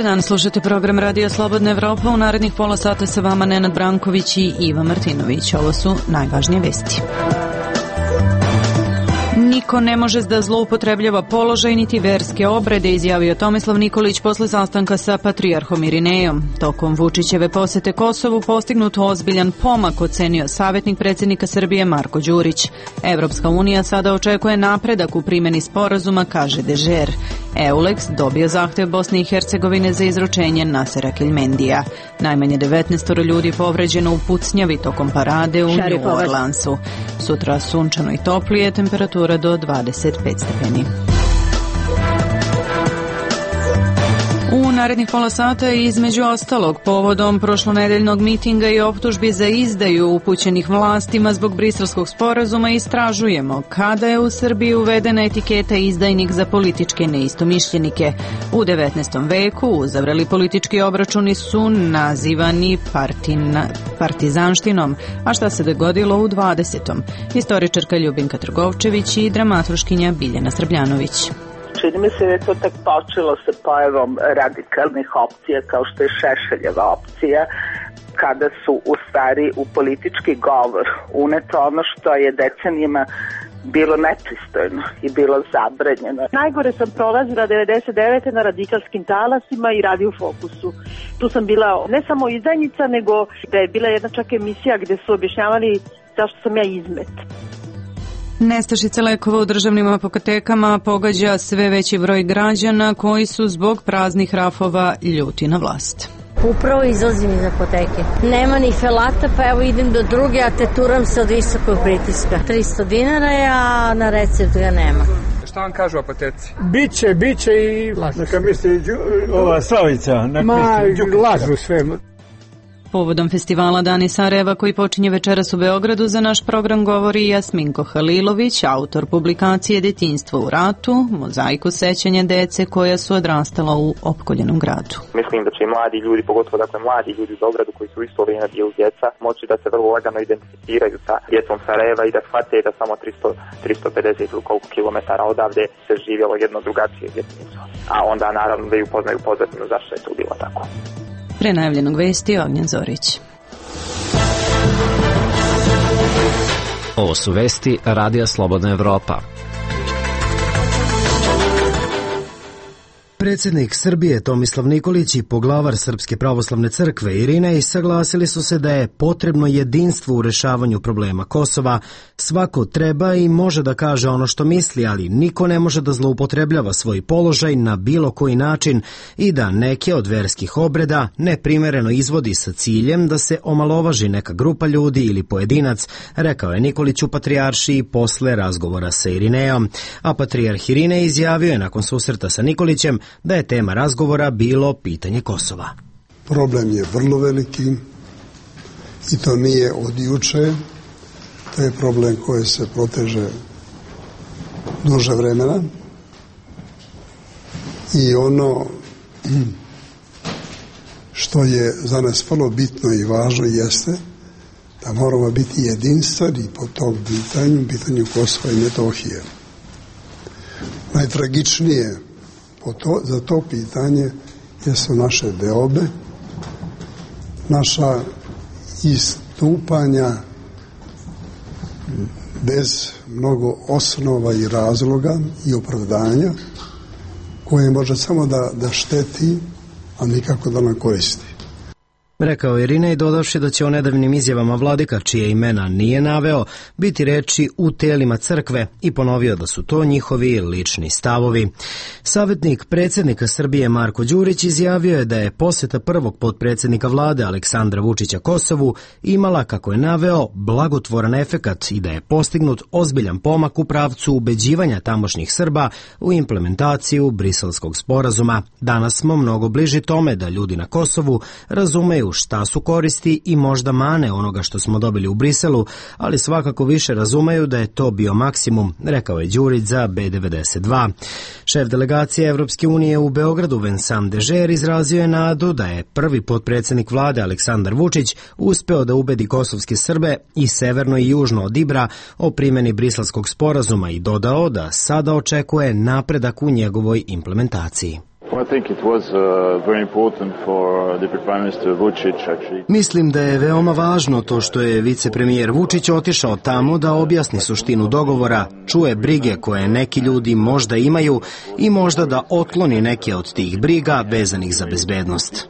dan, slušate program Radio Slobodna Evropa. U narednih pola sata sa vama Nenad Branković i Iva Martinović. Ovo su najvažnije vesti. Niko ne može da zloupotrebljava položaj niti verske obrede, izjavio Tomislav Nikolić posle sastanka sa patrijarhom Irinejom. Tokom Vučićeve posete Kosovu postignut ozbiljan pomak, ocenio savjetnik predsjednika Srbije Marko Đurić. Evropska unija sada očekuje napredak u primjeni sporazuma, kaže Dežer. EULEX dobio zahtev Bosne i Hercegovine za izručenje Nasera Keljmendija. Najmanje 19 ljudi povređeno u pucnjavi tokom parade u New Orleansu. Sutra sunčano i toplije, temperatura do 25 stepeni. U narednih pola sata između ostalog povodom prošlonedeljnog mitinga i optužbi za izdaju upućenih vlastima zbog Briselskog sporazuma istražujemo kada je u Srbiji uvedena etiketa izdajnik za političke neistomišljenike. U 19. veku uzavreli politički obračuni su nazivani partizanštinom, a šta se dogodilo u 20. Historičarka Ljubinka Trgovčević i dramaturškinja Biljana Srbljanović. Čini mi se da je to tek počelo sa pojavom radikalnih opcija kao što je Šešeljeva opcija, kada su u stvari u politički govor uneto ono što je decenijima bilo nepristojno i bilo zabranjeno. Najgore sam prolazila 99. na radikalskim talasima i Radio Fokusu. Tu sam bila ne samo izdajnica, nego da je bila jedna čak emisija gde su objašnjavali zašto sam ja izmet. Nestašica lekova u državnim apotekama pogađa sve veći broj građana koji su zbog praznih rafova ljuti na vlast. Upravo izlazim iz apoteke. Nema ni felata, pa evo idem do druge, a teturam se od visokog pritiska. 300 dinara je, a na recept ga nema. Šta vam kažu apoteci? Biće i lažu. Neka misli ova Slavica. Lažu sve. Povodom festivala Dani Sarajeva koji počinje večeras u Beogradu za naš program govori Jasminko Halilović, autor publikacije Detinjstvo u ratu, mozaiku sećanja dece koja su odrastala u opkoljenom gradu. Mislim da će i mladi ljudi, pogotovo mladi ljudi u Beogradu koji su isto vrijeme bili djeca, moći da se vrlo lagano identificiraju sa djecom Sarajeva i da shvate da samo 350 ili koliko kilometara odavde se živjelo jedno drugačije djetinjstvo. A onda naravno da i upoznaju pozadinu zašto je to bilo tako. Pre najavljenog vesti Ognjen Zorić. Ovo su vesti Radija Slobodna Evropa. Predsjednik Srbije Tomislav Nikolić i poglavar Srpske pravoslavne crkve Irinej saglasili su se da je potrebno jedinstvo u rešavanju problema Kosova. Svako treba i može da kaže ono što misli, ali niko ne može da zloupotrebljava svoj položaj na bilo koji način i da neke od verskih obreda neprimereno izvodi sa ciljem da se omalovaži neka grupa ljudi ili pojedinac, rekao je Nikolić u Patrijaršiji posle razgovora sa Irinejom. A Patrijarh Irinej izjavio je nakon susreta sa Nikolićem da je tema razgovora bilo pitanje Kosova. Problem je vrlo veliki i to nije od juče, to je problem koji se proteže duže vremena i ono što je za nas vrlo bitno i važno jeste da moramo biti jedinstveni po tom pitanju Kosova i Metohije. Najtragičnije za to pitanje jesu naše deobe, naša istupanja bez mnogo osnova i razloga i opravdanja koje može samo da šteti, a nikako da nam koristi. Rekao je Irinej, dodavši da će o nedavnim izjavama vladika, čije imena nije naveo, biti reči u telima crkve i ponovio da su to njihovi lični stavovi. Savjetnik predsjednika Srbije Marko Đurić izjavio je da je posjeta prvog potpredsjednika vlade Aleksandra Vučića Kosovu imala, kako je naveo, blagotvoran efekat i da je postignut ozbiljan pomak u pravcu ubeđivanja tamošnjih Srba u implementaciju Briselskog sporazuma. Danas smo mnogo bliži tome da ljudi na Kosovu razumeju šta su koristi i možda mane onoga što smo dobili u Briselu, ali svakako više razumeju da je to bio maksimum, rekao je Đurić za B92. Šef delegacije Evropske unije u Beogradu Vincent Dežer izrazio je nadu da je prvi potpredsjednik vlade Aleksandar Vučić uspeo da ubedi kosovske Srbe i severno i južno od Ibra o primjeni Briselskog sporazuma i dodao da sada očekuje napredak u njegovoj implementaciji. Mislim da je veoma važno to što je vicepremijer Vučić otišao tamo da objasni suštinu dogovora, čuje brige koje neki ljudi možda imaju i možda da otkloni neke od tih briga vezanih za bezbednost.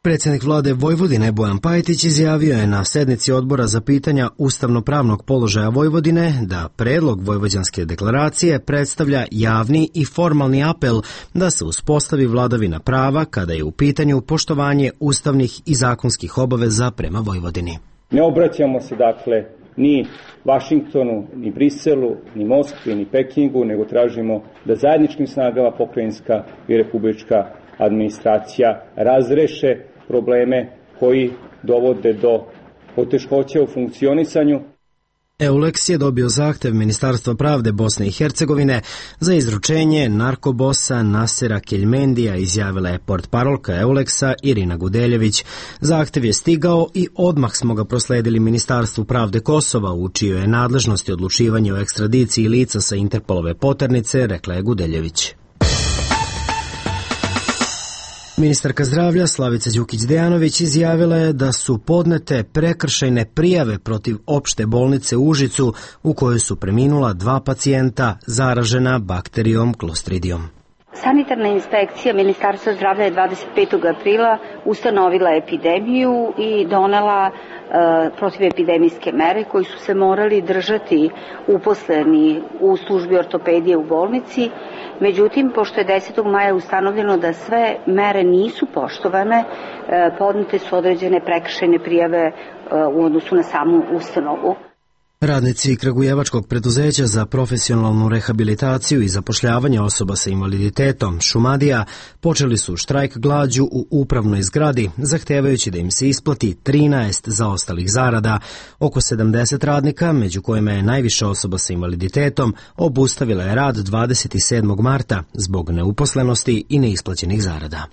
Predsjednik vlade Vojvodine Bojan Pajtić izjavio je na sednici odbora za pitanja ustavno-pravnog položaja Vojvodine da predlog Vojvođanske deklaracije predstavlja javni i formalni apel da se uspostavi vladavina prava kada je u pitanju poštovanje ustavnih i zakonskih obaveza prema Vojvodini. Ne obraćamo se dakle ni Vašingtonu, ni Briselu, ni Moskvi, ni Pekingu, nego tražimo da zajedničkim snagama pokrajinska i republička administracija razreše probleme koji dovode do poteškoća u funkcionisanju. EULEX je dobio zahtev Ministarstva pravde Bosne i Hercegovine za izručenje narkobosa Nasera Keljmendija, izjavila je portparolka EULEX-a Irina Gudeljević. Zahtev je stigao i odmah smo ga prosledili Ministarstvu pravde Kosova, u čijoj je nadležnosti odlučivanje o ekstradiciji lica sa Interpolove poternice, rekla je Gudeljević. Ministarka zdravlja Slavica Đukić-Dejanović izjavila je da su podnete prekršajne prijave protiv opšte bolnice u Užicu u kojoj su preminula 2 pacijenta zaražena bakterijom Clostridijom. Sanitarna inspekcija Ministarstva zdravlja je 25. aprila ustanovila epidemiju i donela protivepidemijske mere koji su se morali držati uposleni u službi ortopedije u bolnici. Međutim, pošto je 10. maja ustanovljeno da sve mere nisu poštovane, podnete su određene prekršajne prijave u odnosu na samu ustanovu. Radnici Kragujevačkog preduzeća za profesionalnu rehabilitaciju i zapošljavanje osoba sa invaliditetom Šumadija počeli su štrajk glađu u upravnoj zgradi, zahtevajući da im se isplati 13 zaostalih zarada. Oko 70 radnika, među kojima je najviše osoba sa invaliditetom, obustavila je rad 27. marta zbog neuposlenosti i neisplaćenih zarada.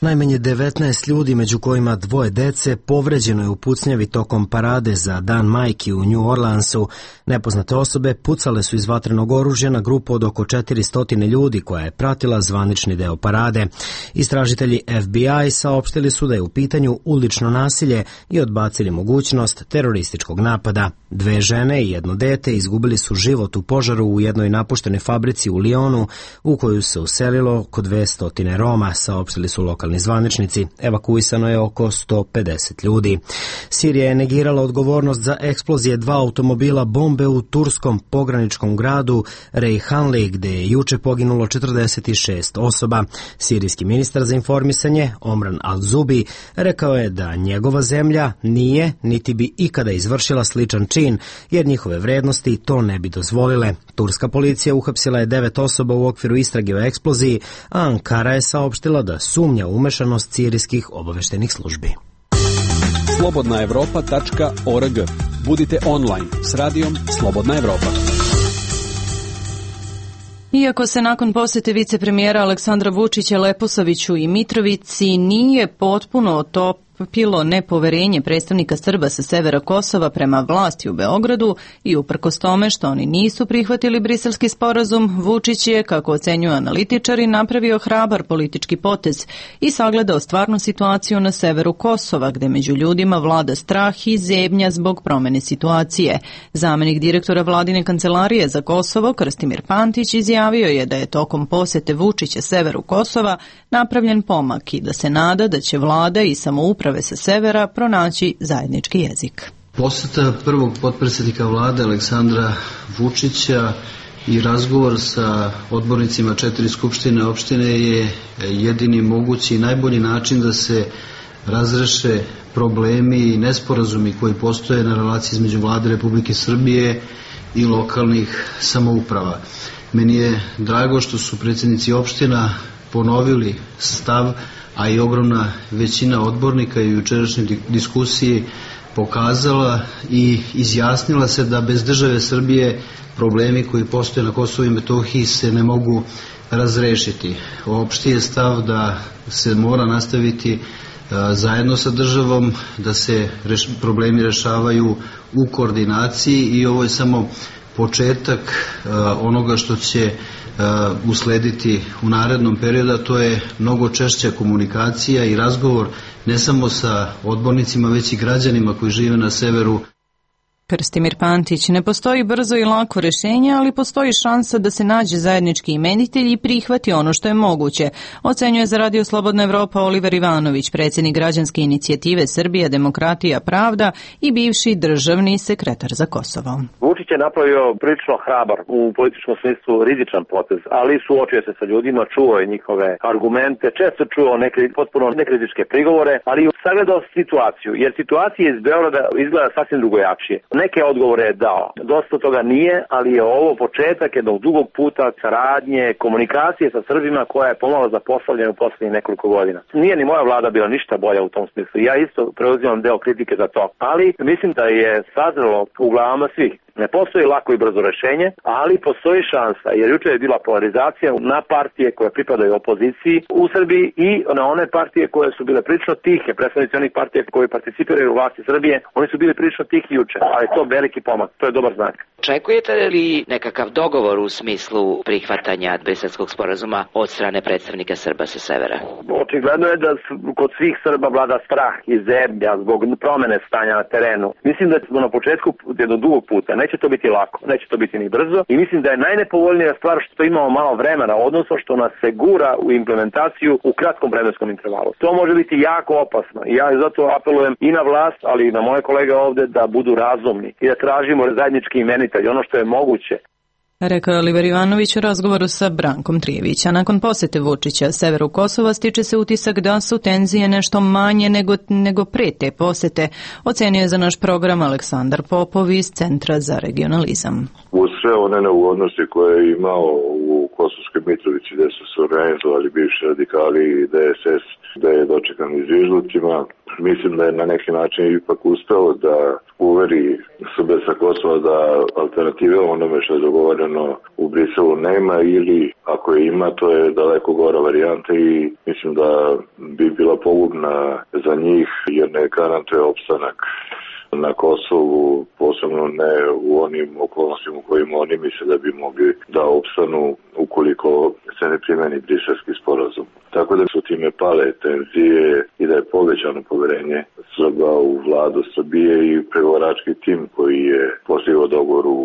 Najmanje 19 ljudi, među kojima 2 dece, povređeno je u pucnjavi tokom parade za Dan majki u New Orleansu. Nepoznate osobe pucale su iz vatrenog oružja na grupu od oko 400 ljudi koja je pratila zvanični deo parade. Istražitelji FBI saopštili su da je u pitanju ulično nasilje i odbacili mogućnost terorističkog napada. 2 žene i 1 dete izgubili su život u požaru u jednoj napuštenoj fabrici u Lyonu u koju se uselilo oko 200 Roma, saopštili su lokalni zvaničnici. Evakuisano je oko 150 ljudi. Sirija je negirala odgovornost za eksplozije 2 automobila bombe u turskom pograničkom gradu Reyhanli, gde je juče poginulo 46 osoba. Sirijski ministar za informisanje Omran Al-Zubi rekao je da njegova zemlja nije niti bi ikada izvršila sličan čin, jer njihove vrednosti to ne bi dozvolile. Turska policija uhapsila je 9 osoba u okviru istrage o eksploziji, a Ankara je saopštila da sumnja umešanost sirijskih obaveštenih službi. slobodnaevropa.org. Budite online s radijom Slobodna Evropa. Iako se nakon posete vicepremijera Aleksandra Vučića Leposaviću i Mitrovici nije potpuno otopilo nepoverenje predstavnika Srba sa severa Kosova prema vlasti u Beogradu i uprkos tome što oni nisu prihvatili briselski sporazum, Vučić je, kako ocenjuju analitičari, napravio hrabar politički potez i sagledao stvarnu situaciju na severu Kosova, gde među ljudima vlada strah i zebnja zbog promene situacije. Zamenik direktora vladine kancelarije za Kosovo, Krstimir Pantić, izjavio je da je tokom posete Vučića severu Kosova napravljen pomak i da se nada da će vlada i samouprave sa severa pronaći zajednički jezik. Poseta prvog potpredsjednika vlade Aleksandra Vučića i razgovor sa odbornicima 4 skupštine opštine je jedini mogući i najbolji način da se razreše problemi i nesporazumi koji postoje na relaciji između vlade Republike Srbije i lokalnih samouprava. Meni je drago što su predsjednici opština ponovili stav, a i ogromna većina odbornika i u jučerašnjoj diskusiji pokazala i izjasnila se da bez države Srbije problemi koji postoje na Kosovu i Metohiji se ne mogu razrešiti. Opšti je stav da se mora nastaviti zajedno sa državom, da se problemi rešavaju u koordinaciji i ovo je samo početak onoga što će uslediti u narednom periodu, a to je mnogo češća komunikacija i razgovor ne samo sa odbornicima, već i građanima koji žive na severu. Krstimir Pantić, ne postoji brzo i lako rešenje, ali postoji šansa da se nađe zajednički imenitelj i prihvati ono što je moguće, ocenjuje za Radio Slobodna Evropa Oliver Ivanović, predsjednik građanske inicijative Srbija, demokratija, pravda i bivši državni sekretar za Kosovo. Vučić je napravio prilično hrabar, u političkom smislu rizičan potez, ali suočio se sa ljudima, čuo je njihove argumente, često čuo neke potpuno nekritičke prigovore, ali sagledao situaciju, jer situacija iz Beograda izgleda sasvim drugojačije. Neke odgovore je dao. Dosta toga nije, ali je ovo početak jednog dugog puta saradnje, komunikacije sa Srbima koja je pomalo zapostavljena u poslednjih nekoliko godina. Nije ni moja vlada bila ništa bolja u tom smislu. Ja isto preuzimam deo kritike za to. Ali mislim da je sazrelo u glavama svih. Ne postoji lako i brzo rešenje, ali postoji šansa, jer juče je bila polarizacija na partije koje pripadaju opoziciji u Srbiji i na one partije koje su bile prilično tihe, predstavnici onih partija koji participiraju u vlasti Srbije, oni su bili prilično tihi juče, ali to je veliki pomak, to je dobar znak. Očekujete li nekakav dogovor u smislu prihvatanja Briselskog sporazuma od strane predstavnika Srba sa severa? Očigledno je da kod svih Srba vlada strah i zebnja zbog promene stanja na terenu. Mislim da smo na početku jednog dugog puta. Neće to biti lako, neće to biti ni brzo i mislim da je najnepovoljnija stvar što imamo malo vremena, odnosno što nas se gura u implementaciju u kratkom vremenskom intervalu. To može biti jako opasno i ja zato apelujem i na vlast, ali i na moje kolege ovde da budu razumni i da tražimo zajednički imenitelj, ono što je moguće. Rekao je Oliver Ivanović u razgovoru sa Brankom Trijevića. Nakon posete Vučića severu Kosova stiče se utisak da su tenzije nešto manje nego pre te posete, ocenio je za naš program Aleksandar Popov iz Centra za regionalizam. Uz sve one neugodnosti koje je imao u Kosovskoj Mitrovici gde su se organizovali bivši radikali i DSS, da je dočekan izvižducima, mislim da je na neki način ipak uspeo da uveri Srbe sa Kosova da alternative onome što je dogovoreno u Briselu nema ili ako je ima, to je daleko gora varijanta i mislim da bi bila pogubna za njih jer ne garantuje opstanak na Kosovu, posebno ne u onim okolnostima u kojima oni misle da bi mogli da opstanu ukoliko se ne primeni Briselski sporazum. Tako da su time pale tenzije i da je povećano poverenje Srba u vladu Srbije i pregovarački tim koji je postigao dogovor u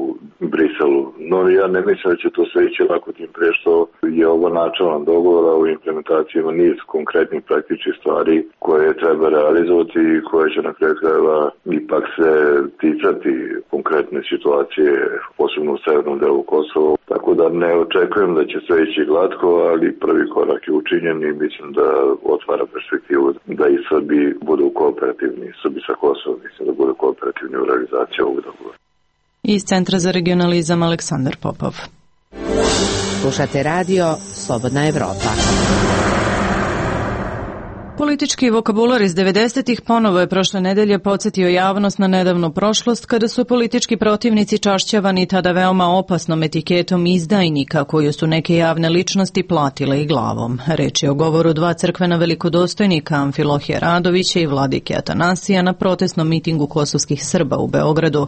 Briselu. No ja ne mislim da će to sve ići lako tim pre što je ovo načalan dogovor, a u implementaciji ima niz konkretnih praktičnih stvari koje treba realizovati i koje će na kraju krajeva ipak se ticati konkretne situacije, posebno u severnom delu Kosova. Tako da ne očekujem da će sve ići glatko, ali prvi korak je učinjen i mislim da otvara perspektivu da i Srbi budu kooperativni, Srbi sa Kosova, mislim da budu kooperativni u realizaciji ovog dogovora. Iz Centra za regionalizam Aleksandar Popov. Slušate radio Slobodna Evropa. Politički vokabular iz 90-ih ponovo je prošle nedelje podsjetio javnost na nedavnu prošlost kada su politički protivnici čašćavani tada veoma opasnom etiketom izdajnika koju su neke javne ličnosti platile i glavom. Reč je o govoru dva crkvena velikodostojnika Amfilohija Radovića i Vladike Atanasija na protestnom mitingu kosovskih Srba u Beogradu.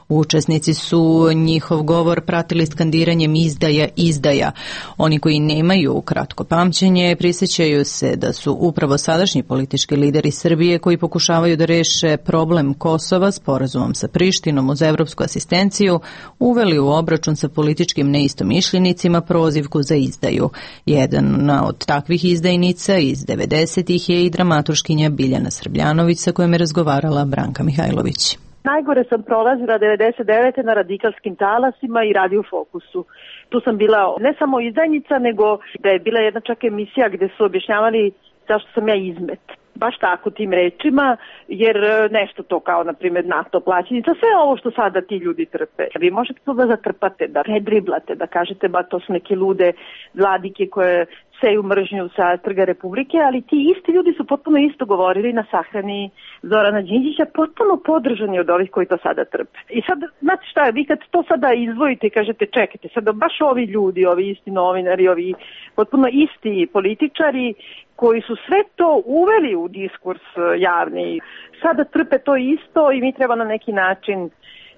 Učesnici su njihov govor pratili skandiranjem izdaja, izdaja. Oni koji nemaju kratko pamćenje prisjećaju se da su upravo sadašnji politički lideri Srbije koji pokušavaju da reše problem Kosova sporazumom sa Prištinom uz evropsku asistenciju uveli u obračun sa političkim neistomišljenicima prozivku za izdaju. Jedna od takvih izdajnica iz 90-ih je i dramaturškinja Biljana Srbljanović sa kojom je razgovarala Branka Mihajlović. Najgore sam prolazila 99. na radikalskim talasima i Radio Fokusu. Tu sam bila ne samo izdajnica, nego da je bila jedna čak emisija gde su objašnjavali zašto sam ja izmet. Baš tako tim rečima, jer nešto to kao, na primjer, NATO plaćenica, sve ovo što sada ti ljudi trpe. Vi možete to da zatrpate, da redriblate, da kažete ba to su neke lude vladike koje seju mržnju sa Trga Republike, ali ti isti ljudi su potpuno isto govorili na sahrani Zorana Đinđića, potpuno podržani od ovih koji to sada trpe. I sad, znate šta, vi kad to sada izdvojite i kažete čekajte, sada baš ovi ljudi, ovi isti novinari, ovi potpuno isti političari koji su sve to uveli u diskurs javni, sada trpe to isto i mi treba na neki način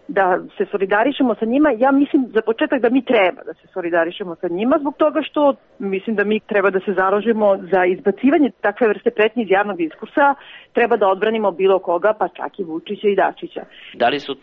da se solidarišemo sa njima. Ja mislim za početak da mi treba da se solidarišemo sa njima zbog toga što mislim da mi treba da se založimo za izbacivanje takve vrste pretnje iz javnog diskursa, treba da odbranimo bilo koga, pa čak i Vučića i Dačića. Da li su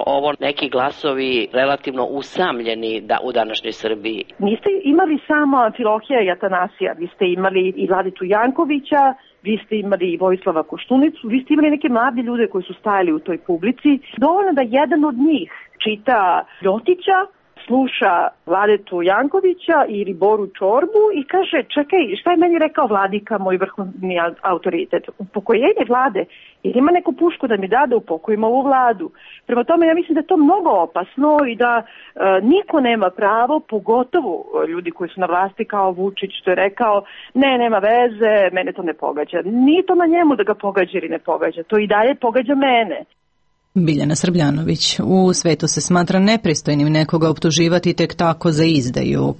ovo neki glasovi relativno usamljeni u današnjoj Srbiji? Niste imali samo Amfilohija i Atanasija, vi ste imali i Vladitu Jankovića, vi ste imali i Vojislava Koštunicu, vi ste imali neke mlade ljude koji su stajali u toj publici. Dovoljno da jedan od njih čita Ljotića, sluša Vladetu Jankovića ili Boru Čorbu i kaže čekaj, šta je meni rekao Vladika, moj vrhovni autoritet? Upokojenje vlade, jer ima neku pušku da mi da upokojim ovu vladu. Prema tome ja mislim da je to mnogo opasno i da niko nema pravo, pogotovo ljudi koji su na vlasti kao Vučić što je rekao nema veze, mene to ne pogađa. Nije to na njemu da ga pogađa ili ne pogađa, to i dalje pogađa mene. Biljana Srbljanović. U svetu se smatra nepristojnim nekoga optuživati tek tako za izdaju,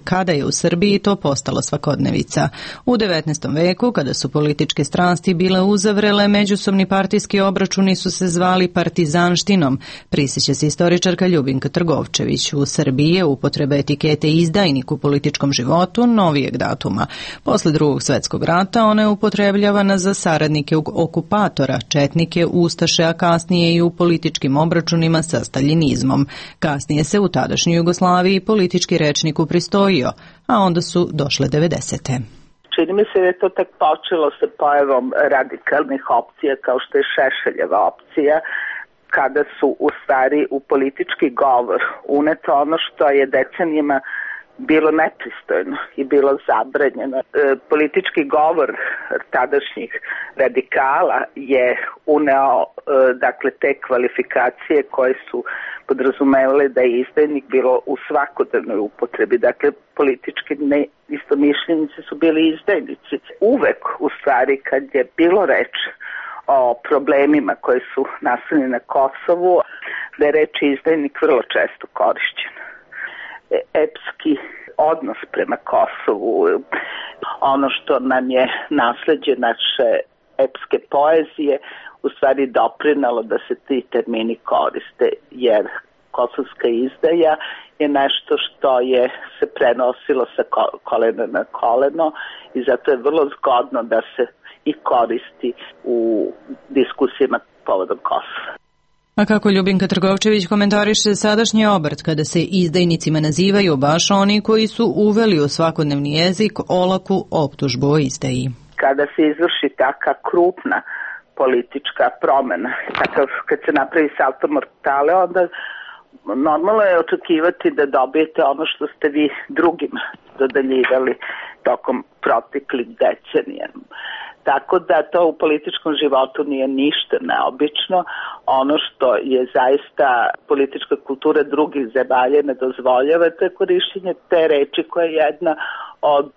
kada je u Srbiji to postalo svakodnevica. U 19. veku, kada su političke strasti bile uzavrele, međusobni partijski obračuni su se zvali partizanštinom, prisjeća se istoričarka Ljubinka Trgovčević. U Srbiji je upotreba etikete izdajnik u političkom životu novijeg datuma. Posle Drugog svjetskog rata ona je upotrebljavana za saradnike okupatora, četnike, ustaše, a kasnije i u političkim obračunima sa staljinizmom. Kasnije se u tadašnjoj Jugoslaviji politički rečnik upristojio, a onda su došle 90. Čini mi se da je to tek počelo sa pojavom radikalnih opcija kao što je Šešeljeva opcija, kada su u stvari u politički govor uneto ono što je decenijama bilo nepristojno i bilo zabranjeno. Politički govor tadašnjih radikala je uneo te kvalifikacije koje su podrazumevale da je izdajnik bilo u svakodnevnoj upotrebi. Dakle, politički istomišljenici su bili izdajnici. Uvek, u stvari, kad je bilo reč o problemima koji su nastali na Kosovu, da je reč izdajnik vrlo često korišćen. Epski odnos prema Kosovu, ono što nam je nasleđe naše epske poezije, u stvari doprinalo da se ti termini koriste, jer kosovska izdaja je nešto što je se prenosilo sa kolena na koleno i zato je vrlo zgodno da se i koristi u diskusijama povodom Kosova. A kako Ljubinka Trgovčević komentariše sadašnji obrt kada se izdajnicima nazivaju baš oni koji su uveli u svakodnevni jezik olaku optužbu o izdaji? Kada se izvrši taka krupna politička promena, kad se napravi salto mortale, onda normalno je očekivati da dobijete ono što ste vi drugima dodeljivali tokom proteklih decenija. Tako da to u političkom životu nije ništa neobično. Ono što je zaista politička kultura drugih zemalja ne dozvoljava, to je korišćenje te reči koja je jedna od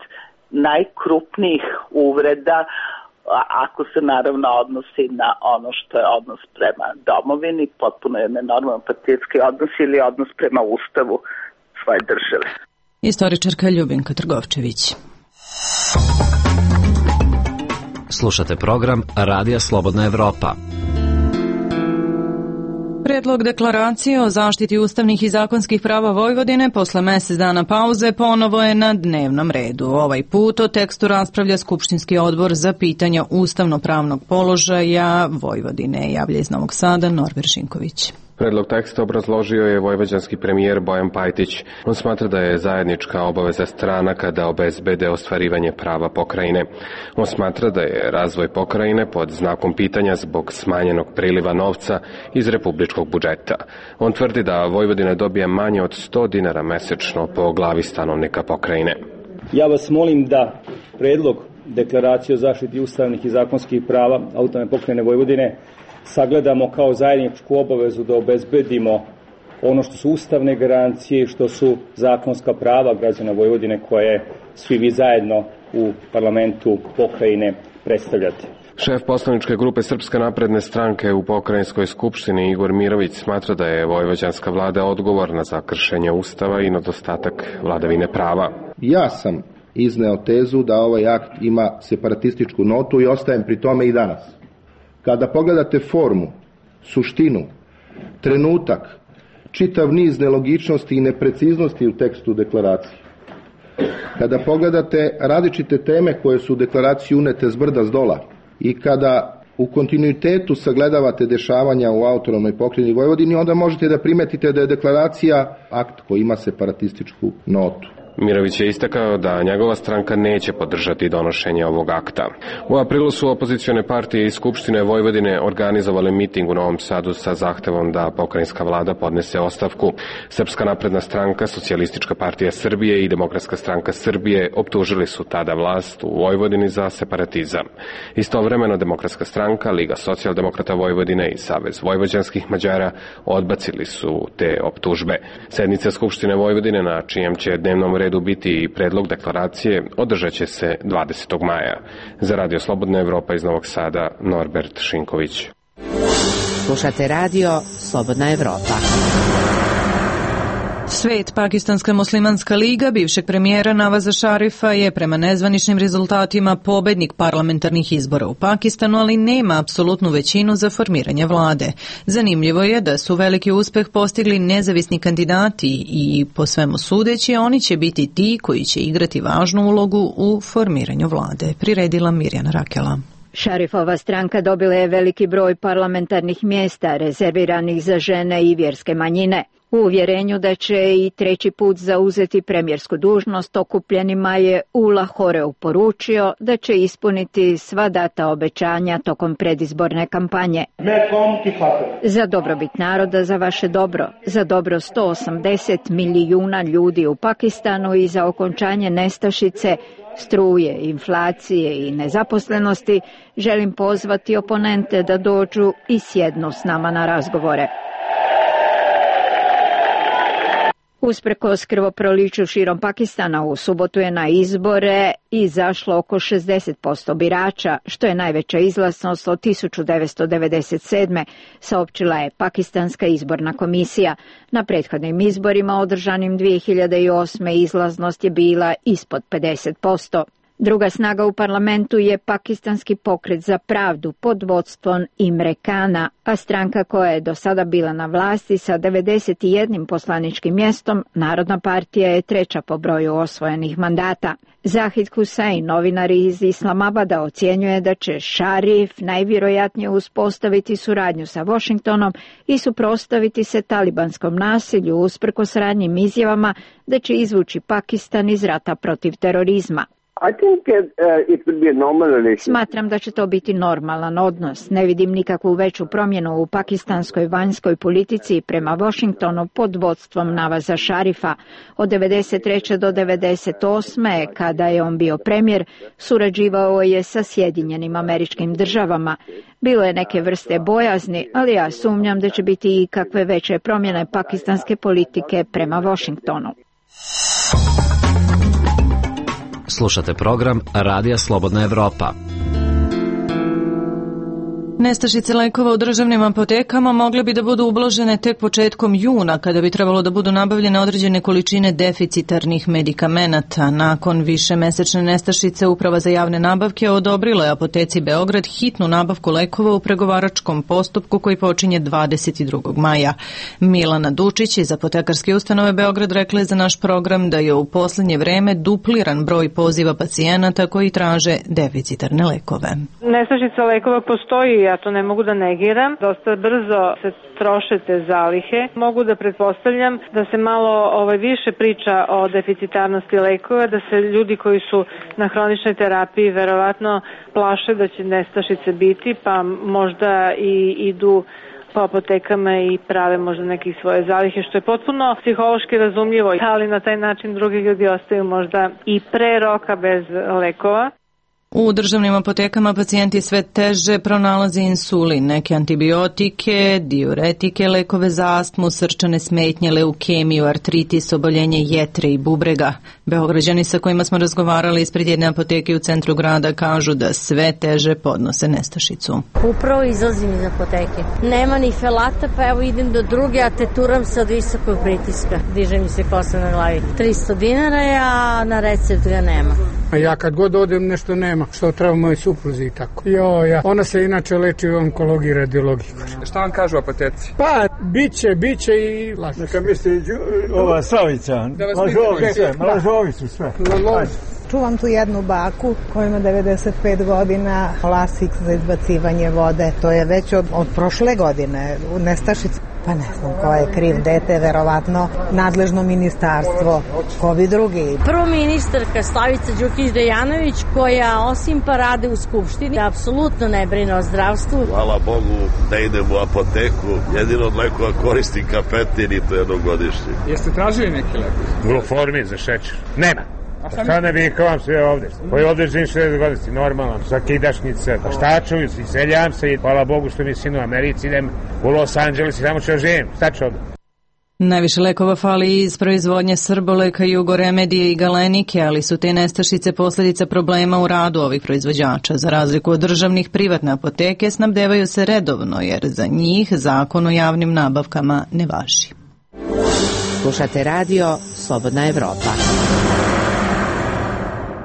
najkrupnijih uvreda, ako se naravno odnosi na ono što je odnos prema domovini, potpuno je nenormalan patriotski odnos ili odnos prema ustavu svoje države. Istoričarka Ljubinka Trgovčević. Slušate program Radija Slobodna Evropa. Predlog deklaracije o zaštiti ustavnih i zakonskih prava Vojvodine posle mesec dana pauze ponovo je na dnevnom redu. Ovaj put o tekstu raspravlja Skupštinski odbor za pitanja ustavno-pravnog položaja Vojvodine. Javlja iz Novog Sada Norber Žinković. Predlog teksta obrazložio je vojvođanski premijer Bojan Pajtić. On smatra da je zajednička obaveza stranaka da obezbede ostvarivanje prava pokrajine. On smatra da je razvoj pokrajine pod znakom pitanja zbog smanjenog priliva novca iz republičkog budžeta. On tvrdi da Vojvodina dobija manje od 100 dinara mesečno po glavi stanovnika pokrajine. Ja vas molim da predlog deklaracije o zaštiti ustavnih i zakonskih prava autonomne pokrajine Vojvodine sagledamo kao zajedničku obavezu da obezbedimo ono što su ustavne garancije i što su zakonska prava građana Vojvodine koje svi vi zajedno u parlamentu pokrajine predstavljate. Šef poslaničke grupe Srpske napredne stranke u pokrajinskoj skupštini Igor Mirović smatra da je vojvođanska vlada odgovorna za kršenje ustava i nedostatak vladavine prava. Ja sam izneo tezu da ovaj akt ima separatističku notu i ostajem pri tome i danas. Kada pogledate formu, suštinu, trenutak, čitav niz nelogičnosti i nepreciznosti u tekstu deklaracije, kada pogledate različite teme koje su u deklaraciji unete s brda s dola i kada u kontinuitetu sagledavate dešavanja u autonomnoj pokrajini Vojvodini, onda možete da primetite da je deklaracija akt koji ima separatističku notu. Mirović je istakao da njegova stranka neće podržati donošenje ovog akta. U aprilu su opozicione partije iz Skupštine Vojvodine organizovale miting u Novom Sadu sa zahtevom da pokrajinska vlada podnese ostavku. Srpska napredna stranka, Socijalistička partija Srbije i Demokratska stranka Srbije optužili su tada vlast u Vojvodini za separatizam. Istovremeno Demokratska stranka, Liga socijaldemokrata Vojvodine i Savez vojvođanskih Mađara odbacili su te optužbe. Sednica Skupštine Vojvodine, na čijem će dnevnom redu biti i predlog deklaracije, održat će se 20. maja. Za Radio Slobodna Evropa iz Novog Sada, Norbert Šinković. Slušate Radio Slobodna Evropa. Svet, Pakistanska muslimanska liga bivšeg premijera Navaza Šarifa je prema nezvaničnim rezultatima pobednik parlamentarnih izbora u Pakistanu, ali nema apsolutnu većinu za formiranje vlade. Zanimljivo je da su veliki uspeh postigli nezavisni kandidati i po svemu sudeći oni će biti ti koji će igrati važnu ulogu u formiranju vlade. Priredila Mirjana Rakela. Šarifova stranka dobila je veliki broj parlamentarnih mjesta rezerviranih za žene i vjerske manjine. U uvjerenju da će i treći put zauzeti premijersku dužnost, okupljenima je u Lahoreu poručio da će ispuniti sva data obećanja tokom predizborne kampanje. Za dobrobit naroda, za vaše dobro, za dobro 180 milijuna ljudi u Pakistanu i za okončanje nestašice, struje, inflacije i nezaposlenosti, želim pozvati oponente da dođu i sjednu s nama na razgovore. Usprkos krvoproliću širom Pakistana, u subotu je na izbore izašlo oko 60% birača, što je najveća izlaznost od 1997. saopćila je Pakistanska izborna komisija. Na prethodnim izborima održanim 2008. izlaznost je bila ispod 50%. Druga snaga u parlamentu je Pakistanski pokret za pravdu pod vodstvom Imre Kana, a stranka koja je do sada bila na vlasti sa 91 poslaničkim mjestom, Narodna partija je treća po broju osvojenih mandata. Zahid Hussein, novinar iz Islamabada, ocjenjuje da će Šarif najvjerojatnije uspostaviti suradnju sa Washingtonom i suprotstaviti se talibanskom nasilju usprkos ranijim izjavama da će izvući Pakistan iz rata protiv terorizma. Smatram da će to biti normalan odnos. Ne vidim nikakvu veću promjenu u pakistanskoj vanjskoj politici prema Washingtonu pod vodstvom Navaza Šarifa. Od 1993. do 1998. kada je on bio premijer, surađivao je sa Sjedinjenim Američkim Državama. Bilo je neke vrste bojazni, ali ja sumnjam da će biti i kakve veće promjene pakistanske politike prema Washingtonu. Slušate program Radija Slobodna Evropa. Nestašice lekova u državnim apotekama mogle bi da budu ublažene tek početkom juna, kada bi trebalo da budu nabavljene određene količine deficitarnih medikamenata. Nakon višemesečne nestašice, Uprava za javne nabavke odobrila je apoteci Beograd hitnu nabavku lekova u pregovaračkom postupku koji počinje 22. maja. Milana Dučić iz apotekarske ustanove Beograd rekla je za naš program da je u posljednje vreme dupliran broj poziva pacijenata koji traže deficitarne lekove. Nestašica lekova postoji, ja to ne mogu da negiram. Dosta brzo se troše te zalihe. Mogu da pretpostavljam da se malo više priča o deficitarnosti lekova, da se ljudi koji su na hroničnoj terapiji verovatno plaše da će nestašice biti, pa možda i idu po apotekama i prave možda neke svoje zalihe, što je potpuno psihološki razumljivo, ali na taj način drugi ljudi ostaju možda i pre roka bez lekova. U državnim apotekama pacijenti sve teže pronalaze insulin, neke antibiotike, diuretike, lekove za astmu, srčane smetnje, leukemiju, artritis, oboljenje jetre i bubrega. Beograđani sa kojima smo razgovarali ispred jedne apoteke u centru grada kažu da sve teže podnose nestašicu. Upravo izlazim iz apoteke. Nema ni felata, pa evo idem do druge, a teturam se od visokog pritiska. Diže mi se kosa na glavi. 300 dinara je, a na recept ga nema. A ja kad god odem nešto nema, što treba moj supruzi i tako. Ona se inače leči u onkologiji i radiologiji. Šta vam kažu apoteci? Pa, biće i lažu. Neka misli ova Slavica, lažovicu sve. Čuvam tu jednu baku koja ima 95 godina, lasik za izbacivanje vode. To je već od prošle godine u nestašici. Pa ne znam ko je kriv, dete, verovatno nadležno ministarstvo, ko bi drugi. Prvo ministarka Slavica Đukić-Dejanović, koja osim pa rade u Skupštini, apsolutno ne brine o zdravstvu. Hvala Bogu da idem u apoteku, jedino od lekova koristim kapetin i to jednogodišnji. Jeste tražili neki lek? Gluformin za šećer. Nema. Šta ne vikavam sve ovde? Koji ovde živim 60 godina, normalno, sa kidašnice, pa šta čuju, iseljavam se i hvala Bogu što mi sin u Americi, idem u Los Angeles i tamo ću živim, šta ću ovde? Najviše lekova fali iz proizvodnje Srboleka, Jugoremedije i Galenike, ali su te nestašice posljedica problema u radu ovih proizvođača. Za razliku od državnih, privatne apoteke snabdevaju se redovno, jer za njih zakon o javnim nabavkama ne važi. Slušate radio Slobodna Evropa.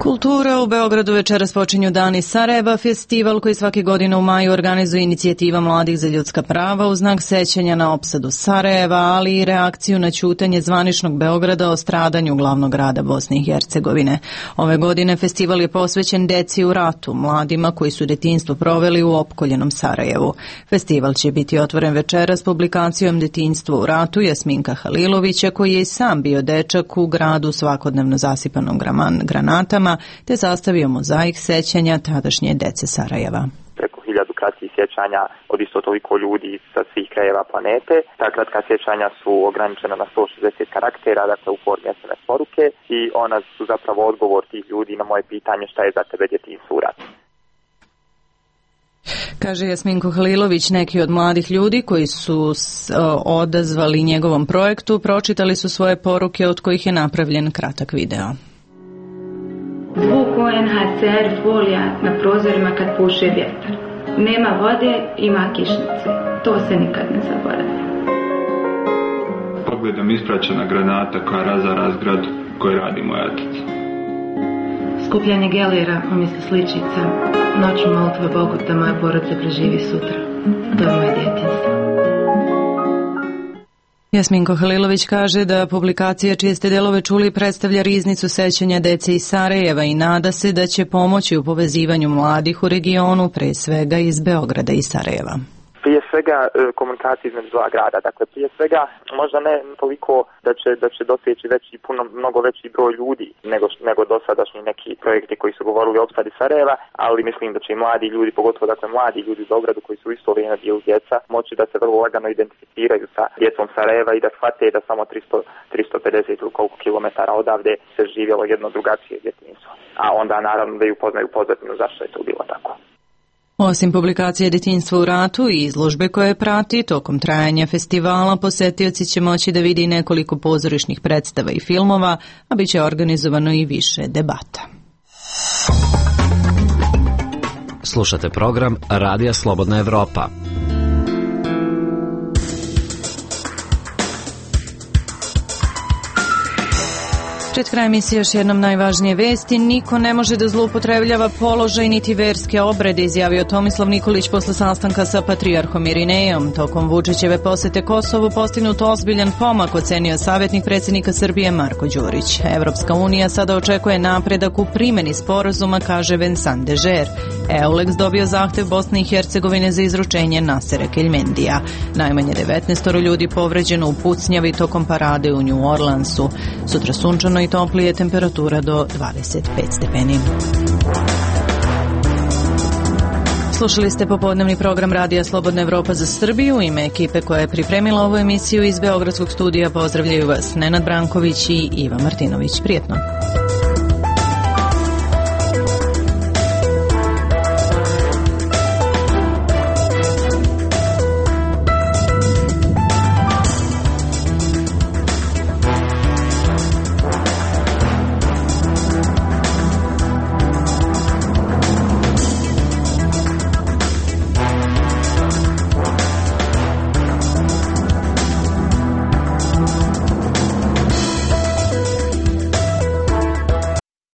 Kultura u Beogradu večeras počinju Dani Sarajeva, festival koji svake godine u maju organizuje inicijativa Mladih za ljudska prava u znak sećanja na opsadu Sarajeva, ali i reakciju na ćutanje zvaničnog Beograda o stradanju glavnog grada Bosne i Hercegovine. Ove godine festival je posvećen deci u ratu, mladima koji su detinjstvo proveli u opkoljenom Sarajevu. Festival će biti otvoren večeras publikacijom Detinjstvo u ratu Jasminka Halilovića, koji je i sam bio dečak u gradu svakodnevno zasipanom granatama, te sastavio mozaik sećanja tadašnje dece Sarajeva. Preko 1000 kratkih sjećanja od isto toliko ljudi sa svih krajeva planete. Ta kratka sjećanja su ograničena na 160 karaktera, dakle u formi SMS poruke, i ona su zapravo odgovor tih ljudi na moje pitanje šta je za tebe detinjstvo u ratu. Kaže Jasminko Halilović, neki od mladih ljudi koji su odazvali njegovom projektu pročitali su svoje poruke od kojih je napravljen kratak video. Zvuk UNHCR folija na prozorima kad puše vjetar. Nema vode, ima kišnice. To se nikad ne zaboravlja. Pogledom ispraćena granata koja razara zgradu koju radi moj otac. Skupljanje gelera umjesto sličica. Noću molitve Bogu da moja porodica preživi sutra. To je moje djetinjstvo. Jasminko Halilović kaže da publikacija čije ste delove čuli predstavlja riznicu sećanja dece iz Sarajeva i nada se da će pomoći u povezivanju mladih u regionu, pre svega iz Beograda i Sarajeva. Prije svega komunikacija između dva grada, dakle prije svega možda ne toliko da će doseći mnogo veći broj ljudi nego dosadašnji neki projekti koji su govorili o opsadi Sarajeva, ali mislim da će i mladi ljudi, pogotovo dakle mladi ljudi u Beogradu koji su u isto vrijeme bili djeca, moći da se vrlo lagano identificiraju sa djecom Sarajeva i da shvate da samo 350 ili koliko kilometara odavde se živjelo jedno drugačije djetinjstvo. A onda naravno da i upoznaju pozadinu zašto je to bilo tako. Osim publikacije Detinjstvo u ratu i izložbe koje prati, tokom trajanja festivala posetioci će moći da vidi nekoliko pozorišnih predstava i filmova, a bit će organizovano i više debata. Slušate program Radija Slobodna Evropa. Pred kraj emisije još jednom najvažnije vesti. Niko ne može da zloupotrebljava položaj niti verske obrede, izjavio Tomislav Nikolić posle sastanka sa patrijarhom Irinejom. Tokom Vučićeve posete Kosovu postignut ozbiljan pomak, ocenio savjetnik predsjednika Srbije Marko Đurić. Evropska unija sada očekuje napredak u primjeni sporazuma, kaže Vincent Dežer. EULEX dobio zahtev Bosne i Hercegovine za izručenje Nasera Keljmendija. Najmanje 19 ljudi povređeno u pucnjavi tokom parade u New Orleansu. Sutra sunčano i toplije, temperatura do 25 stepeni. Slušali ste popodnevni program Radija Slobodna Evropa za Srbiju. U ime ekipe koja je pripremila ovu emisiju iz Beogradskog studija pozdravljaju vas Nenad Branković i Iva Martinović. Prijetno.